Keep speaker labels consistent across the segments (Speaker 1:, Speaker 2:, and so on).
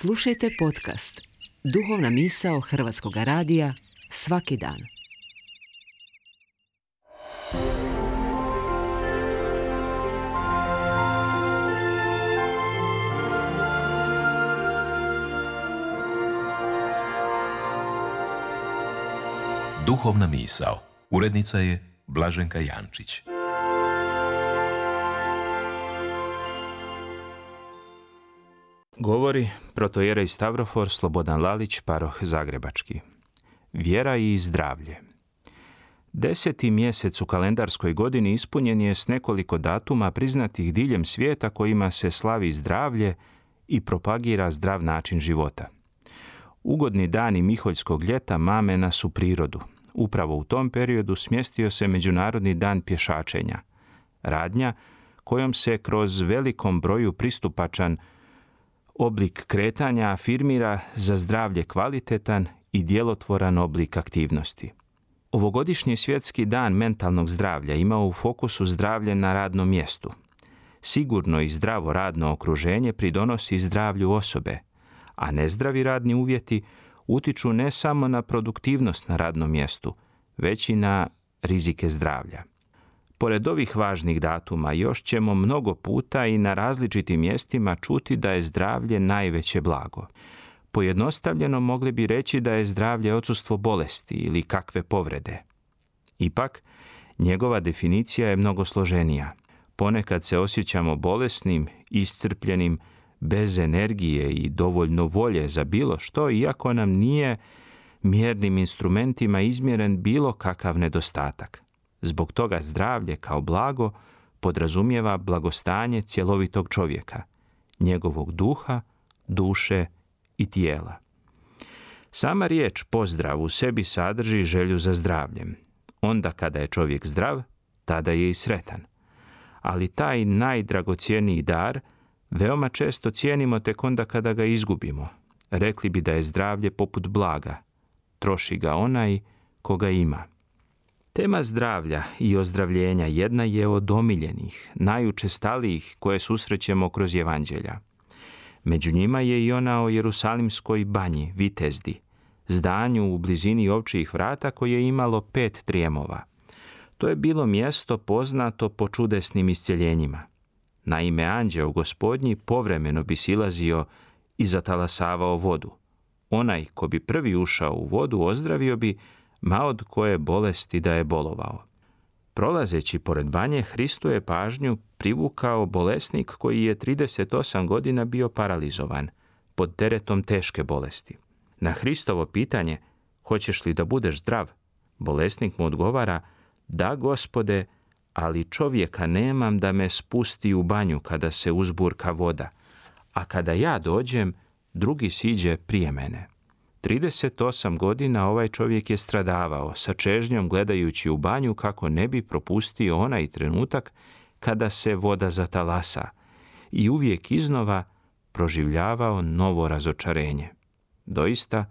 Speaker 1: Slušajte podcast Duhovna misao Hrvatskog radija svaki dan.
Speaker 2: Duhovna misao. Urednica je Blaženka Jančić.
Speaker 3: Govori protojerej Stavrofor Slobodan Lalić, paroh Zagrebački. Vjera i zdravlje. 10. mjesec u kalendarskoj godini ispunjen je s nekoliko datuma priznatih diljem svijeta kojima se slavi zdravlje i propagira zdrav način života. Ugodni dani Miholjskog ljeta mame nas u prirodu. Upravo u tom periodu smjestio se Međunarodni dan pješačenja. Radnja kojom se kroz velikom broju pristupačan oblik kretanja afirmira za zdravlje kvalitetan i djelotvoran oblik aktivnosti. Ovogodišnji svjetski dan mentalnog zdravlja ima u fokusu zdravlje na radnom mjestu. Sigurno i zdravo radno okruženje pridonosi zdravlju osobe, a nezdravi radni uvjeti utiču ne samo na produktivnost na radnom mjestu, već i na rizike zdravlja. Pored ovih važnih datuma još ćemo mnogo puta i na različitim mjestima čuti da je zdravlje najveće blago. Pojednostavljeno mogli bi reći da je zdravlje odsustvo bolesti ili kakve povrede. Ipak, njegova definicija je mnogo složenija. Ponekad se osjećamo bolesnim, iscrpljenim, bez energije i dovoljno volje za bilo što, iako nam nije mjernim instrumentima izmjeren bilo kakav nedostatak. Zbog toga zdravlje kao blago podrazumijeva blagostanje cjelovitog čovjeka, njegovog duha, duše i tijela. Sama riječ pozdrav u sebi sadrži želju za zdravljem. Onda kada je čovjek zdrav, tada je i sretan. Ali taj najdragocjeniji dar veoma često cijenimo tek onda kada ga izgubimo. Rekli bi da je zdravlje poput blaga. Troši ga onaj koga ima. Tema zdravlja i ozdravljenja jedna je od omiljenih, najučestalijih koje susrećemo kroz evanđelja. Među njima je i ona o Jerusalimskoj banji, Vitezdi, zdanju u blizini ovčjih vrata koje je imalo 5 trijemova. To je bilo mjesto poznato po čudesnim iscjeljenjima. Naime, anđeo Gospodnji povremeno bi silazio i zatalasavao vodu. Onaj ko bi prvi ušao u vodu ozdravio bi, ma od koje bolesti da je bolovao. Prolazeći pored banje, Hristu je pažnju privukao bolesnik koji je 38 godina bio paralizovan, pod teretom teške bolesti. Na Hristovo pitanje, hoćeš li da budeš zdrav? Bolesnik mu odgovara, da Gospode, ali čovjeka nemam da me spusti u banju kada se uzburka voda, a kada ja dođem, drugi siđe prije mene. 38 godina ovaj čovjek je stradavao, sa čežnjom gledajući u banju kako ne bi propustio onaj trenutak kada se voda zatalasa i uvijek iznova proživljavao novo razočarenje. Doista,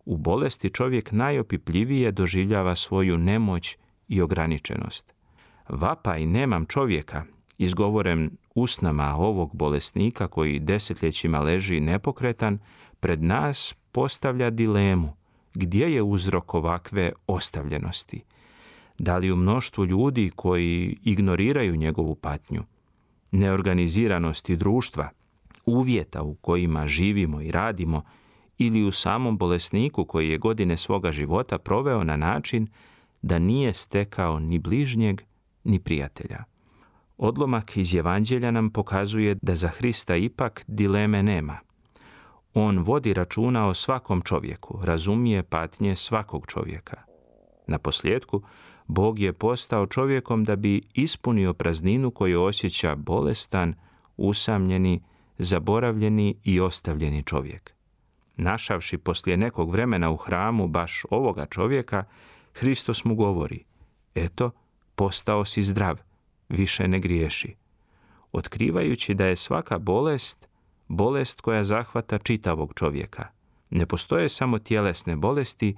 Speaker 3: u bolesti čovjek najopipljivije doživljava svoju nemoć i ograničenost. Vapaj nemam čovjeka, izgovoren usnama ovog bolesnika koji desetljećima leži nepokretan, pred nas postavlja dilemu gdje je uzrok ovakve ostavljenosti. Da li u mnoštvu ljudi koji ignoriraju njegovu patnju, neorganiziranosti društva, uvjeta u kojima živimo i radimo, ili u samom bolesniku koji je godine svoga života proveo na način da nije stekao ni bližnjeg ni prijatelja. Odlomak iz evanđelja nam pokazuje da za Hrista ipak dileme nema. On vodi računa o svakom čovjeku, razumije patnje svakog čovjeka. Naposljetku, Bog je postao čovjekom da bi ispunio prazninu koju osjeća bolestan, usamljeni, zaboravljeni i ostavljeni čovjek. Našavši poslije nekog vremena u hramu baš ovoga čovjeka, Hristos mu govori, eto, postao si zdrav, više ne griješi. Otkrivajući da je svaka bolest koja zahvata čitavog čovjeka. Ne postoje samo tjelesne bolesti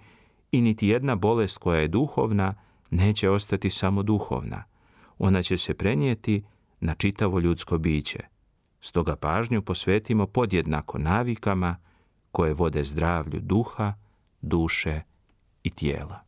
Speaker 3: i niti jedna bolest koja je duhovna neće ostati samo duhovna. Ona će se prenijeti na čitavo ljudsko biće. Stoga pažnju posvetimo podjednako navikama koje vode zdravlju duha, duše i tijela.